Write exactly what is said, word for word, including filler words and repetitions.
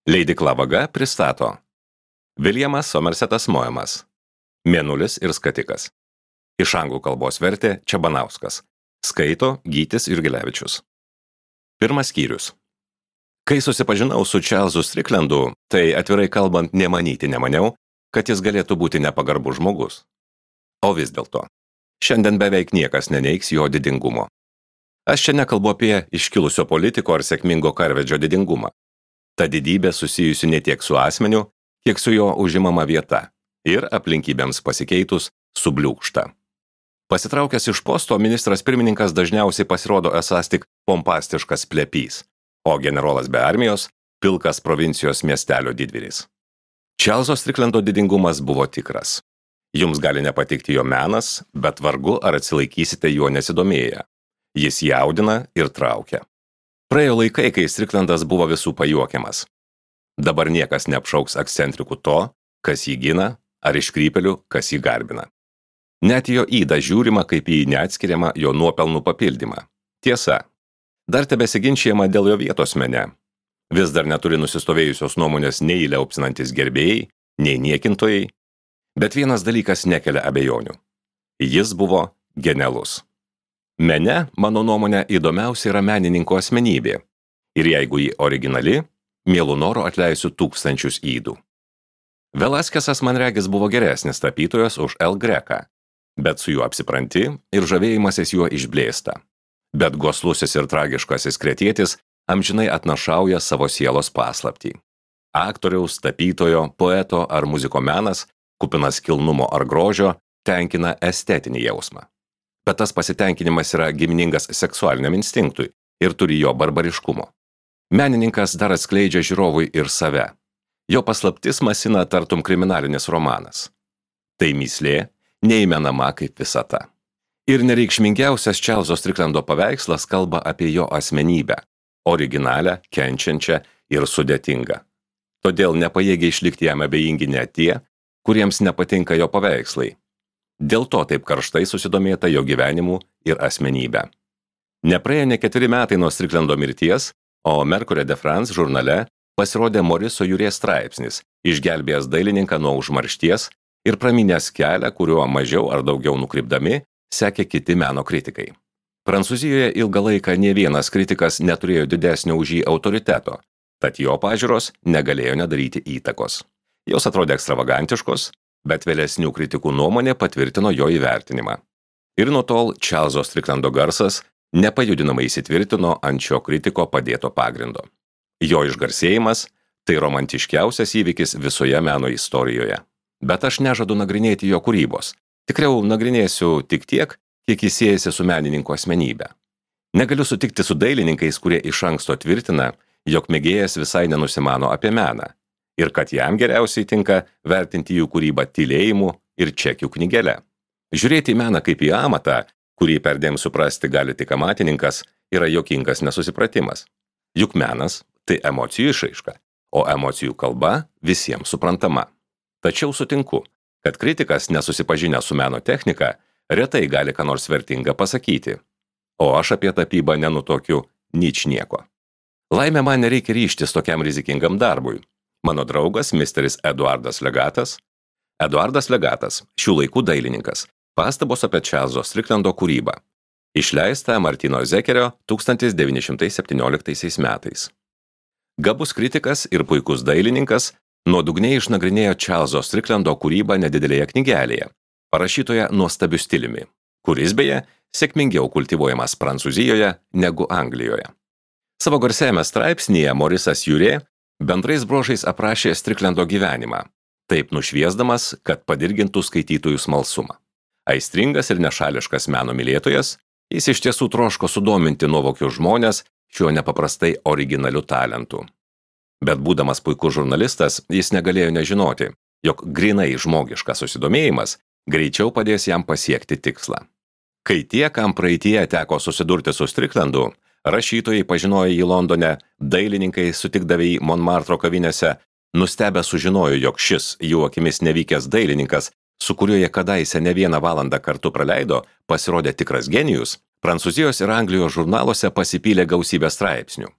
Leidykla Vaga pristato Viljamas Somersetas Moemas Mėnulis ir skatikas. Iš anglų kalbos vertė Čebanauskas. Skaito Gytis Jurgilevičius. Pirmas skyrius. Kai susipažinau su Čarlzu Stricklandu, tai atvirai kalbant nemanyti nemaniau, kad jis galėtų būti nepagarbus žmogus. O vis dėlto, šiandien beveik niekas neneigs jo didingumo. Aš čia nekalbu apie iškilusio politiko ar sėkmingo karvedžio didingumą. Ta didybė susijusi ne tiek su asmeniu, kiek su jo užimama vieta ir aplinkybėms pasikeitus subliūkšta. Pasitraukęs iš posto, ministras pirmininkas dažniausiai pasirodo esąs tik pompastiškas plepys, o generolas be armijos – pilkas provincijos miestelio didvyris. Čarlzo Stricklando didingumas buvo tikras. Jums gali nepatikti jo menas, bet vargu ar atsilaikysite juo nesidomėję. Jis jaudina ir traukia. Praėjo laikai, kai Stricklandas buvo visų pajuokiamas. Dabar niekas neapšauks akcentrikų to, kas jį gina, ar iškrypelių, kas jį garbina. Net jo įdą žiūrima kaip į neatskiriamą jo nuopelnų papildymą. Tiesa, dar tebesiginčijama dėl jo vietos mene. Vis dar neturi nusistovėjusios nuomonės nei liaupsinantis gerbėjai, nei niekintojai, bet vienas dalykas nekelia abejonių. Jis buvo genialus. Mene, mano nuomonė, įdomiausia yra menininko asmenybė. Ir jeigu ji originali, mielu noru atleisiu tūkstančius įdų. Velaskesas man regis buvo geresnis tapytojas už El Greką, bet su juo apsipranti ir žavėjimasis juo išblėsta. Bet goslusis ir tragiškasis kretietis amžinai atnašauja savo sielos paslaptį. Aktoriaus, tapytojo, poeto ar muziko menas, kupinas kilnumo ar grožio, tenkina estetinį jausmą. Bet tas pasitenkinimas yra giminingas seksualiniam instinktui ir turi jo barbariškumo. Menininkas dar atskleidžia žiūrovui ir save. Jo paslaptis masina tartum kriminalinis romanas. Tai mįslė, neįmenama kaip visata. Ir nereikšmingiausias Čarlzo Stricklando paveikslas kalba apie jo asmenybę, originalią, kenčiančią ir sudėtingą. Todėl nepajėgia išlikti jam abejingi net tie, kuriems nepatinka jo paveikslai. Dėl to taip karštai susidomėta jo gyvenimu ir asmenybę. Nepraėjo ne keturi metai nuo Stricklando mirties, o Mercury de France žurnale pasirodė Moriso Jurė straipsnis, išgelbėjęs dailininką nuo užmaršties ir praminęs kelią, kuriuo mažiau ar daugiau nukrypdami sekė kiti meno kritikai. Prancūzijoje ilgą laiką nė vienas kritikas neturėjo didesnio už jį autoriteto, tad jo pažiūros negalėjo nedaryti įtakos. Jos atrodė ekstravagantiškos, bet vėlesnių kritikų nuomonė patvirtino jo įvertinimą. Ir nuo tol Čarlzo Stricklando garsas nepajudinamai įsitvirtino ant šio kritiko padėto pagrindo. Jo išgarsėjimas – tai romantiškiausias įvykis visoje meno istorijoje. Bet aš nežadu nagrinėti jo kūrybos. Tikriau nagrinėsiu tik tiek, kiek jis siejasi su menininko asmenybe. Negaliu sutikti su dailininkais, kurie iš anksto tvirtina, jog mėgėjas visai nenusimano apie meną ir kad jam geriausiai tinka vertinti jų kūrybą tylėjimu ir čekių knygelę. Žiūrėti į meną kaip į amatą, kurį perdėm suprasti gali tik amatininkas, yra juokingas nesusipratimas. Juk menas – tai emocijų išraiška, o emocijų kalba visiems suprantama. Tačiau sutinku, kad kritikas nesusipažinęs su meno technika retai gali ką nors vertinga pasakyti. O aš apie tapybą nenutokiu ničnieko. Laimė man nereikia ryžtis tokiam rizikingam darbui. Mano draugas, misteris Eduardas Legatas. Eduardas Legatas, šių laikų dailininkas, pastabos apie Čarlzo Stricklando kūrybą. Išleista Martino Zekerio tūkstantis devyni šimtai septynioliktaisiais metais. Gabus kritikas ir puikus dailininkas nuodugniai išnagrinėjo Čarlzo Stricklando kūrybą nedidelėje knygelėje, parašytoje nuostabiu stiliumi, kuris beje sėkmingiau kultivuojamas Prancūzijoje negu Anglijoje. Savo garsiajame straipsnyje Morisas Jurė bendrais bruožais aprašė Stricklando gyvenimą, taip nušviesdamas, kad padirgintų skaitytojų smalsumą. Aistringas ir nešališkas meno mylėtojas, jis iš tiesų troško sudominti nuovokius žmonės šiuo nepaprastai originaliu talentu. Bet būdamas puikus žurnalistas, jis negalėjo nežinoti, jog grinai žmogiškas susidomėjimas greičiau padės jam pasiekti tikslą. Kai tie, kam praeityje teko susidurti su Stricklandu, rašytojai pažinojo jį Londone, dailininkai sutikdavę jį Montmartro kavinėse, nustebę sužinojo, jog šis jų akimis nevykęs dailininkas, su kuriuo jie kadaise ne vieną valandą kartu praleido, pasirodė tikras genijus, Prancūzijos ir Anglijos žurnaluose pasipylė gausybė straipsnių.